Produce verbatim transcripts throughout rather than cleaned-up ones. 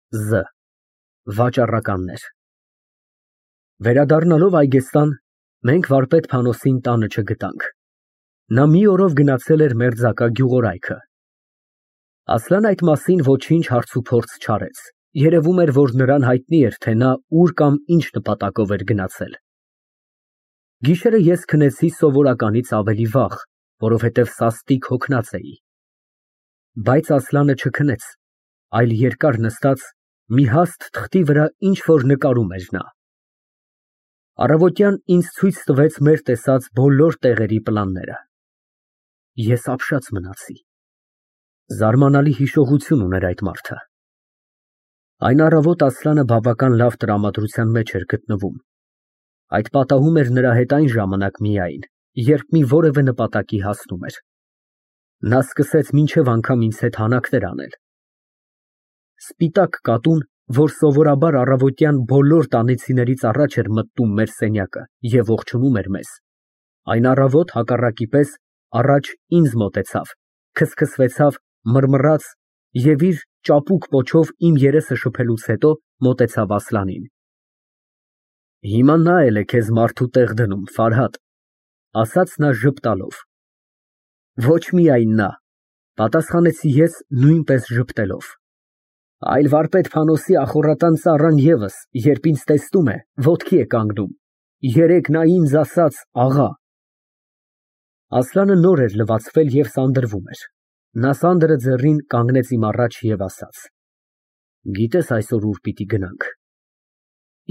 Զ Վաճառականներ Վերադառնալով Այգեստան, մենք վարպետ Փանոսին տանը չգտանք, նա մի օրով գնացել էր մերձակա գյուղորայքը։ Ասլան այդ մասին ոչինչ հարցուփորձ չարեց, երևում էր, որ նրան հայտնի էր, թե նա ուր կամ ինչ նպատակով էր գնացել։ Գիշերը ես քնեցի սովորականից ավելի վաղ, որովհետև սաստիկ հոգնած էի։ Բայց Ասլանը չքնեց, այլ երկար նստած մի հաստ թղթի վրա ինչ-որ նկարում էր նա։ Առավոտյան ինձ ցույց տվեց մեր տեսած բոլոր տեղերի պլանները։ Ես ապշած մնացի։ Զարմանալի հիշողություն ուներ այդ մարդը։ Այն առավոտ Ասլանը բավական լավ տրամադրության մեջ էր գտնվում։ Այդ պատահում էր նրա հետ այն ժամանակ միայն, երբ մի որևէ նպատակի հասնում էր։ Նա սկսեց մինչև անգամ ինձ հետ հանակներ անել։ Սպիտակ կատուն, որ սովորաբար առավոտյան բոլոր տանիցիներից առաջ էր մտնում մեր սենյակը և ողջունում էր մեզ, այն առավոտ հակառակի պես առաջ ինձ մոտեցավ, քսքսվեցավ, մռմռաց և իր ճապուկ պոչով իմ երեսը շփելուց հետո մոտեցավ Ասլանին։ Հիմա նա էլ է քեզ մարդու տեղ դնում, Ֆարհադ, ասաց նա ժպտալով։ Ոչ միայն նա, պատասխանեցի ես նույնպես ժպտելով, այլ վարպետ Փանոսի ախոռատան ծառան ևս, երբ ինձ տեսնում է, ոտքի է կանգնում, երեկ նա ինձ ասաց աղա։ Ասլանը նոր էր լվացվել և սանդրվում էր, նա սանդրը ձեռին կանգնեց իմ առաջ և ասաց. Գիտես այսօր ուր պիտի գնանք։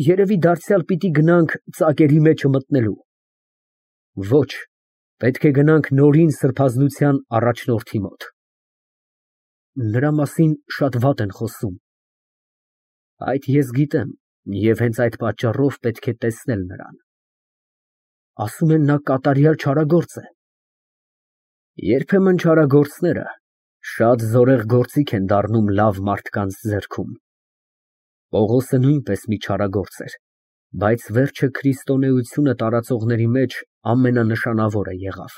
Երևի դարձյալ պիտի գնանք ծակերի մեջը մտնելու։ Ոչ, պետք է գնանք նորին սրբազնության առաջնորդի մոտ։ Նրա մասին շատ վատ են խոսում։ Այդ ես գիտեմ և հենց այդ պատճառով պետք է տեսնել նրան։ Ասում են նա կատարյալ չարագործ է։ Երբեմն չարագործները շատ զորեղ գործիք են դառնում լավ մարդկանց ձեռքում։ Պողոսը նույնպես մի չարագործ էր, բայց վերջը քրիստոնեությունը տարածողների մեջ ամենանշանավորը եղավ։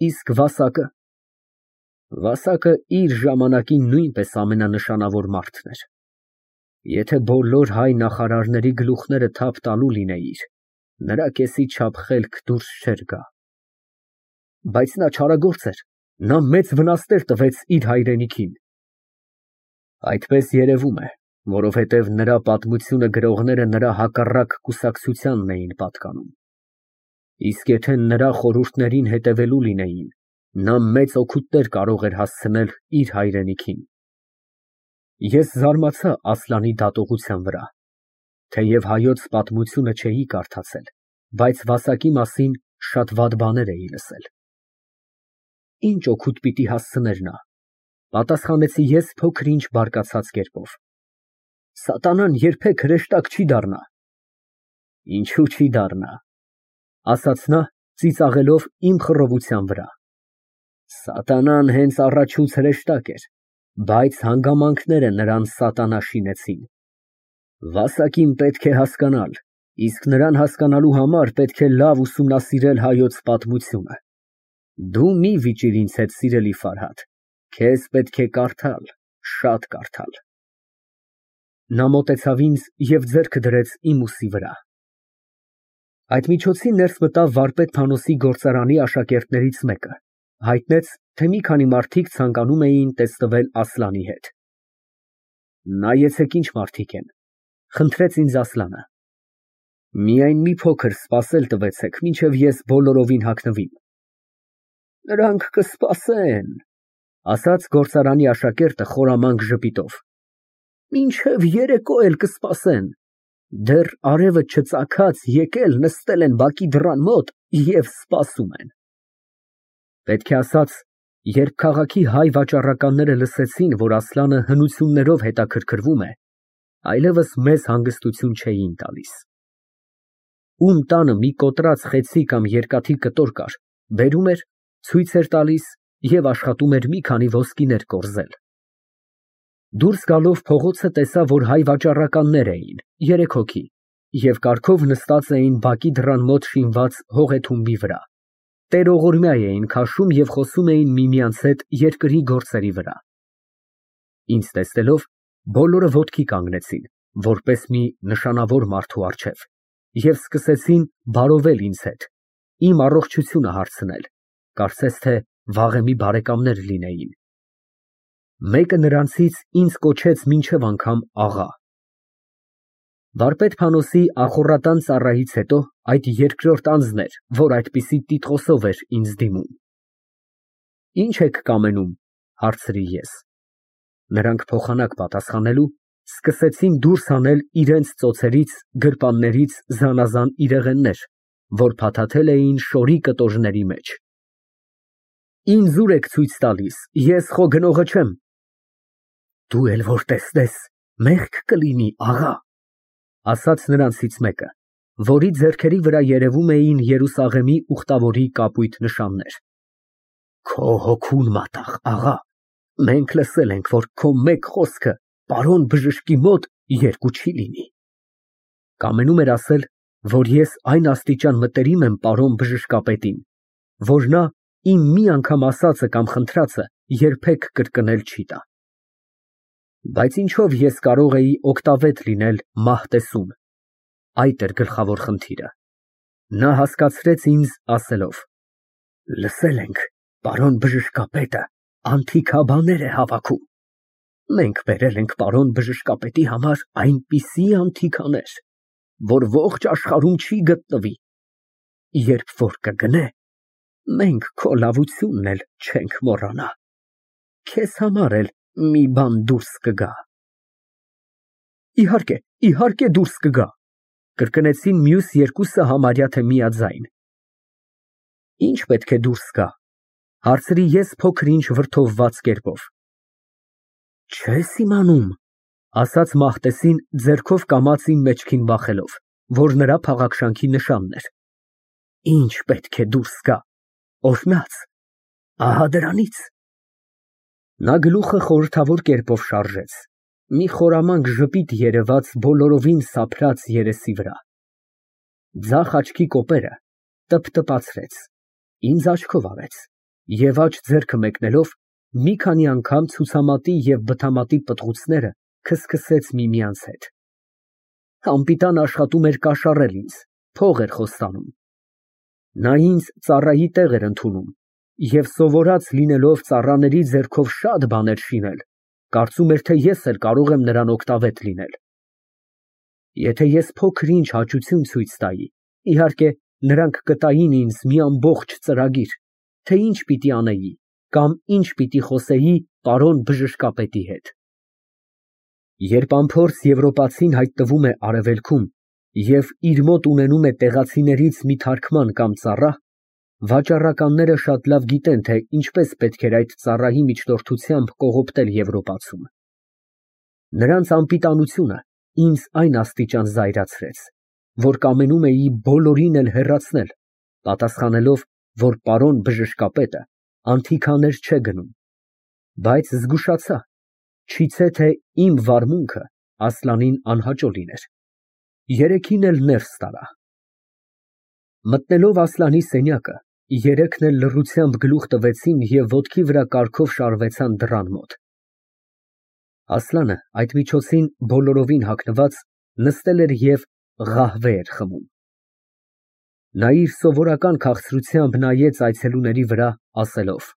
Իսկ Վասակը։ Վասակը իր ժամանակի նույնպես ամենանշանավոր մարդն էր։ Եթե բոլոր հայ նախարարների գլուխները թափ տալու լինեիր, նրա կեսի չափ խելք դուրս չէր գա։ Բայց նա չարագործ էր, նա մեծ վնասներ տվեց իր հայրենիքին։ Այդպես երևում է, որովհետև նրա պատմությունը գրողները նրա հակառակ կուսակցությանն էին պատկանում։ Իսկ եթե նրա խորհուրդներին հետևելու լինեին, նա մեծ օգուտներ կարող էր հասցնել իր հայրենիքին։ Ես զարմացա Ասլանի դատողության վրա, թեև հայոց պատմությունը չէի կարդացել, բայց Վասակի մասին շատ վատ բաներ էի լսել։ Ինչ օգուտ պիտի հասցներ նա, պատասխանեցի ես փոքր-ինչ բարկացած կերպով։ Սատանան երբեք հրեշտակ չի դառնա։ Ինչու չի դառնա, ասաց նա, ծիծաղելով իմ խռովության վրա։ Սատանան հենց առաջուց հրեշտակ էր, բայց հանգամանքները նրան սատանա շինեցին։ Վասակին պետք է հասկանալ, իսկ նրան հասկանալու համար պետք է լավ ուսումնասիրել հայոց պատմությունը։ Դու մի վիճիր ինձ հետ, սիրելի Ֆարհադ, քեզ պետք է կարդալ, շատ կարդալ։ Նա մոտեցավ ինձ և ձեռքը դրեց իմ ուսի վրա։ Այդ միջոցին ներս մտավ վարպետ Փանոսի գործարանի աշակերտներից մեկը, հայտնեց, թե մի քանի մարդիկ ցանկանում էին տեսնվել Ասլանի հետ։ Նայեցեք ինչ մարդիկ են, խնդրեց ինձ Ասլանը։ Միայն մի փոքր սպասել տվեցեք, մինչև ես բոլորովին հագնվեմ։ Նրանք կսպասեն, ասաց գործարանի աշակերտը խորամանկ ժպիտով։ Մինչև երեկո էլ կսպասեն։ Դեռ արևը չծագած եկել նստել են բակի դռան մոտ և սպասում են։ Պետք է ասած, երբ քաղաքի հայ վաճառականները լսեցին, որ Ասլանը հնություններով հետաքրքրվում է, այլևս մեզ հանգստություն չէին տալիս։ Ում տանը մի կոտրած խեցի կամ երկաթի կտոր կար, բերում էր, ցույց էր տալիս և աշխատում էր մի քանի ոսկիներ կորզել։ Դուրս գալով փողոցը տեսա, որ հայ վաճառականներ էին, երեք հոգի, և կարգով նստած էին բակի դռան մոտ շինված հողեթումբի վրա։ Տերողորմյա էին քաշում և խոսում էին միմյանց հետ երկրի գործերի վրա։ Ինձ տեսնելով, Բոլորը ոտքի կանգնեցին, որպես մի նշանավոր մարդու առջև, և սկսեցին բարովել ինձ հետ, իմ առողջությունը հարցնել, կարծես թե վաղեմի բարեկամներ լինեին։ Մեկը նրանցից ինձ կոչեց մինչև անգամ աղա։ Վարպետ-Փանոսի ախոռատան ծառայից հետո այդ երկրորդ անձն էր, որ այդպիսի տիտղոսով էր ինձ դիմում։ Ի՞նչ եք կամենում, հարցրի ես։ Նրանք փոխանակ պատասխանելու սկսեցին դուրս հանել իրենց ծոցերից, գրպաններից զանազան իրեղեններ, որ փաթաթել էին շորի կտորների մեջ։ Ինձ ուր եք ցույց տալիս, ես խո գնողը չեմ։ Դու էլ որ տեսնես, մեղք կլինի, աղա, ասաց նրանցից մեկը, որի ձեռքերի վրա երևում էին Երուսաղեմի ուխտավորի կապույտ նշաններ։ Քո հոգուն մատաղ, աղա, մենք լսել ենք, որ քո մեկ խոսքը պարոն բժշկի մոտ երկու չի լինի։ Կամենում էր ասել, որ ես այն աստիճան մտերիմ եմ պարոն բժշկապետին, որ նա իմ մի անգամ ասածը կամ խնդրածը երբեք կրկնել չի տա։ Բայց ինչով ես կարող էի օգտավետ լինել մահ տեսուն, այդ էր գլխավոր խնդիրը։ Նա հասկացրեց ինձ ասելով. Լսել ենք, պարոն բժշկապետը անթիքաբաներ է հավաքում։ Մենք բերել ենք պարոն բժշկապետի համար այնպիսի անթիքաներ, որ ողջ աշխարհում չի գտնվի։ Երբ որ կգնե, մենք քո լավությունն էլ չենք մոռանա։ Քեզ համար էլ մի բան դուրս կգա։ Իհարկե, իհարկե դուրս կգա, կրկնեցին մյուս երկուսը համարյա թե միաձայն։ Ինչ պետք է դուրս գա, հարցրի ես փոքր-ինչ վրդովված կերպով։ Չես իմանում, ասաց Մահտեսին ձեռքով կամացին մեջքին բախելով, որ նրա փաղաքշանքի նշանն էր։ Ինչ պետք է դուրս գա, օրհնած, ահա դրանից։ Նա գլուխը խորհրդավոր կերպով շարժեց, մի խորամանկ ժպիտ երևաց բոլորովին սափրած երեսի վրա։ Ձախ աչքի կոպերը տպտպացրեց, ինձ աչքով արեց և աջ ձեռքը մեկնելով մի քանի անգամ ցուցամատի և բթամատի պտղուցները քսքսեց միմյանց հետ։ Անպիտան աշխատում էր կաշառել ինձ, փող էր խոստանում։ Նա ինձ ծառայի տեղ էր ընդունում և սովորած լինելով ծառաների ձեռքով շատ բաներ շինել, կարծում էր, թե ես էլ կարող եմ նրան օգտավետ լինել։ Եթե ես փոքր-ինչ հաճություն ցույց տայի, իհարկե, նրանք կտային ինձ մի ամբողջ ծրագիր, թե ինչ պիտի անեի կամ ինչ պիտի խոսեի պարոն բժշկապետի հետ։ Երբ անփորձ եվրոպացին հայտնվում է արևելքում և իր մոտ ունենում է տեղացիներից մի թարգման կամ ծառա, վաճառականները շատ լավ գիտեն, թե ինչպես պետք էր այդ ծառայի միջնորդությամբ կողոպտել Եվրոպացում։ Նրանց անպիտանությունը ինձ այն աստիճան զայրացրեց, որ կամենում էի բոլորին էլ հեռացնել, պատասխանելով, որ պարոն բժշկապետը անթիքաներ չէ գնում, բայց զգուշացա, չիցե թե իմ վարմունքը Ասլանին անհաճո լիներ։ Երեքին էլ ներս տարա։ Մտնելով Ասլանի սենյակը, երեքն էլ լռությամբ գլուխ տվեցին և ոտքի վրա կարգով շարվեցան դռան մոտ։ Ասլանը այդ միջոցին բոլորովին հագնված նստել էր և ղահվե էր խմում։ Նա իր սովորական քաղցրությամբ նայեց այցելուների վրա, ասելով.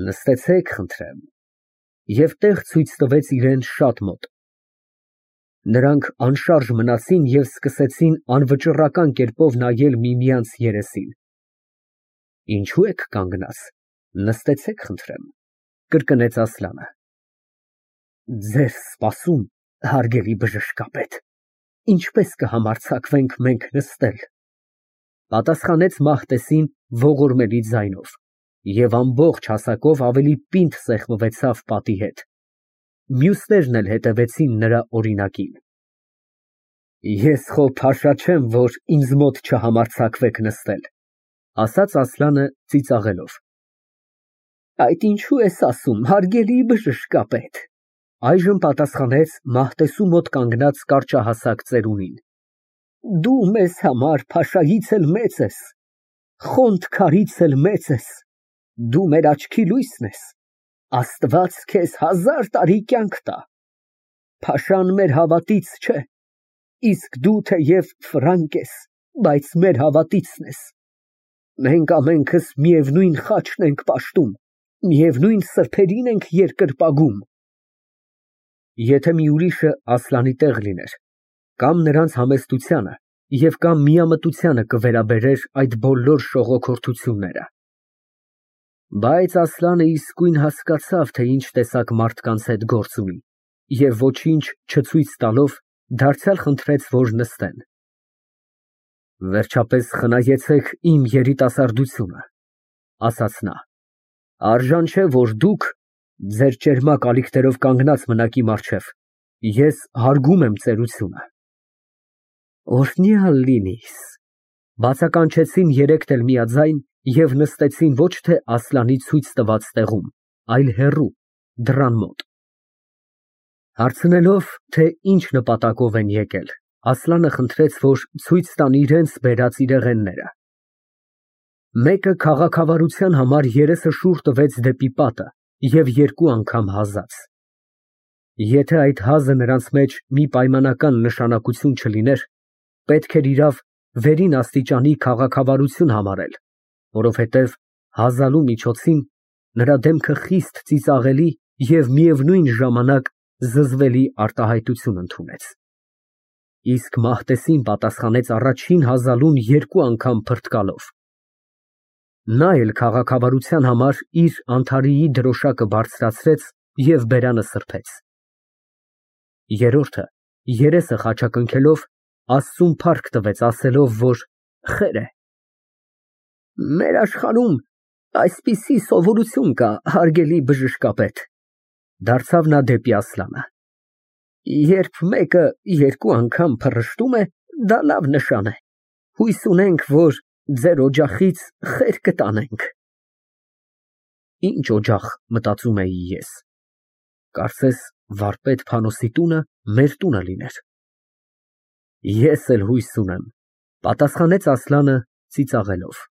Նստեցեք, խնդրեմ, և տեղ ցույց տվեց իրան շատ մոտ։ Նրանք անշարժ մնացին և սկսեցին անվճռական կերպով նայել միմյանց երեսին։ Ինչո՞ւ եք կանգնած, նստեցեք, խնդրեմ, կրկնեց Ասլանը։ Ձեզ սպասում, հարգելի բժշկապետ, ինչպես կհամարձակվենք մենք նստել, պատասխանեց Մահտեսին ողորմելի ձայնով և ամբողջ հասակով ավելի պինդ սեղմվեցավ պատի հետ։ Մյուսներն էլ հետևեցին նրա օրինակին։ Ես խո փաշա չեմ, որ ինձ մոտ չհամարձակվեք նստել, ասաց Ասլանը ծիծաղելով։ Այդ ինչու ես ասում, հարգելի բժշկապետ, այժմ պատասխանեց Մահտեսու մոտ կանգնած կարճահասակ ծերունին։ Դու մեզ համար փաշայից էլ մեծ ես, խոնթ քարից էլ մեծ ես, դու մեր աչքի լույսն ես, Աստված քեզ հազար տարի կյանք տա։ Փաշան մեր հավատից չէ, իսկ դու թեև ֆրանկ ես, բայց մեր հավատիցն ես։ Մենք ամենքս միևնույն խաչն ենք պաշտում, միևնույն սրբերին ենք երկրպագում։ Եթե մի ուրիշը Ասլանի տեղ լիներ, կամ նրանց համեստությանը և կամ միամտությանը կվերաբերեր այդ բոլոր շողոքորթությունները։ Բայց Ասլանը իսկույն հասկացավ, թե ինչ տեսակ մարդկանց հետ գործ ունի, և ոչինչ չցույց տալով, դարձյալ խնդրեց, որ նստեն։ Վերջապես խնայեցեք իմ երիտասարդությունը, ասաց նա, արժան չէ, որ դուք ձեր ճերմակ ալիքներով կանգնած մնաք իմ առջև, ես հարգում եմ ծերությունը։ Օրհնյալ լինիս, բացականչեցին երեքն էլ միաձայն և նստեցին ոչ թե Ասլանի ցույց տված տեղում, այլ հեռու, դռան մոտ։ Հարցնելով, թե ինչ նպատակով են եկել, Ասլանը խնդրեց, որ ցույց տան իրենց բերած իրեղենները։ Մեկը քաղաքավարության համար երեսը շուռ տվեց դեպի պատը և երկու անգամ հազաց։ Եթե այդ հազը նրանց մեջ մի պայմանական նշանակություն չլիներ, պետք էր իրավ վերին աստիճանի քաղաքավարություն համարել, որովհետև հազալու միջոցին նրա դեմքը խիստ ծիծաղելի և միևնույն ժամանակ զզվելի արտահայտություն ընդունեց։ Իսկ Մահտեսին պատասխանեց առաջին հազալուն երկու անգամ փրկալով։ Նա էլ քաղաքավարության համար իր անթարիի դրոշակը բարձրացրեց և բերանը սրբեց։ Երրորդը, երեսը խաչակնքելով, Աստծուն փառք տվեց, ասելով, որ խեր է։ Մեր աշխարհում այսպիսի սովորություն կա, հարգելի բժշկապետ, դարձավ նա դեպի Ասլանը. երբ մեկը երկու անգամ փռշտում է, դա լավ նշան է, հույս ունենք, որ ձեր օջախից խեր կտանենք։ Ինչ օջախ, մտածում էի ես, կարծես վարպետ Փանոսի տունը մեր տունը լիներ։ Ես էլ հույս ունեմ, պատասխանեց Ասլանը ծիծաղելով։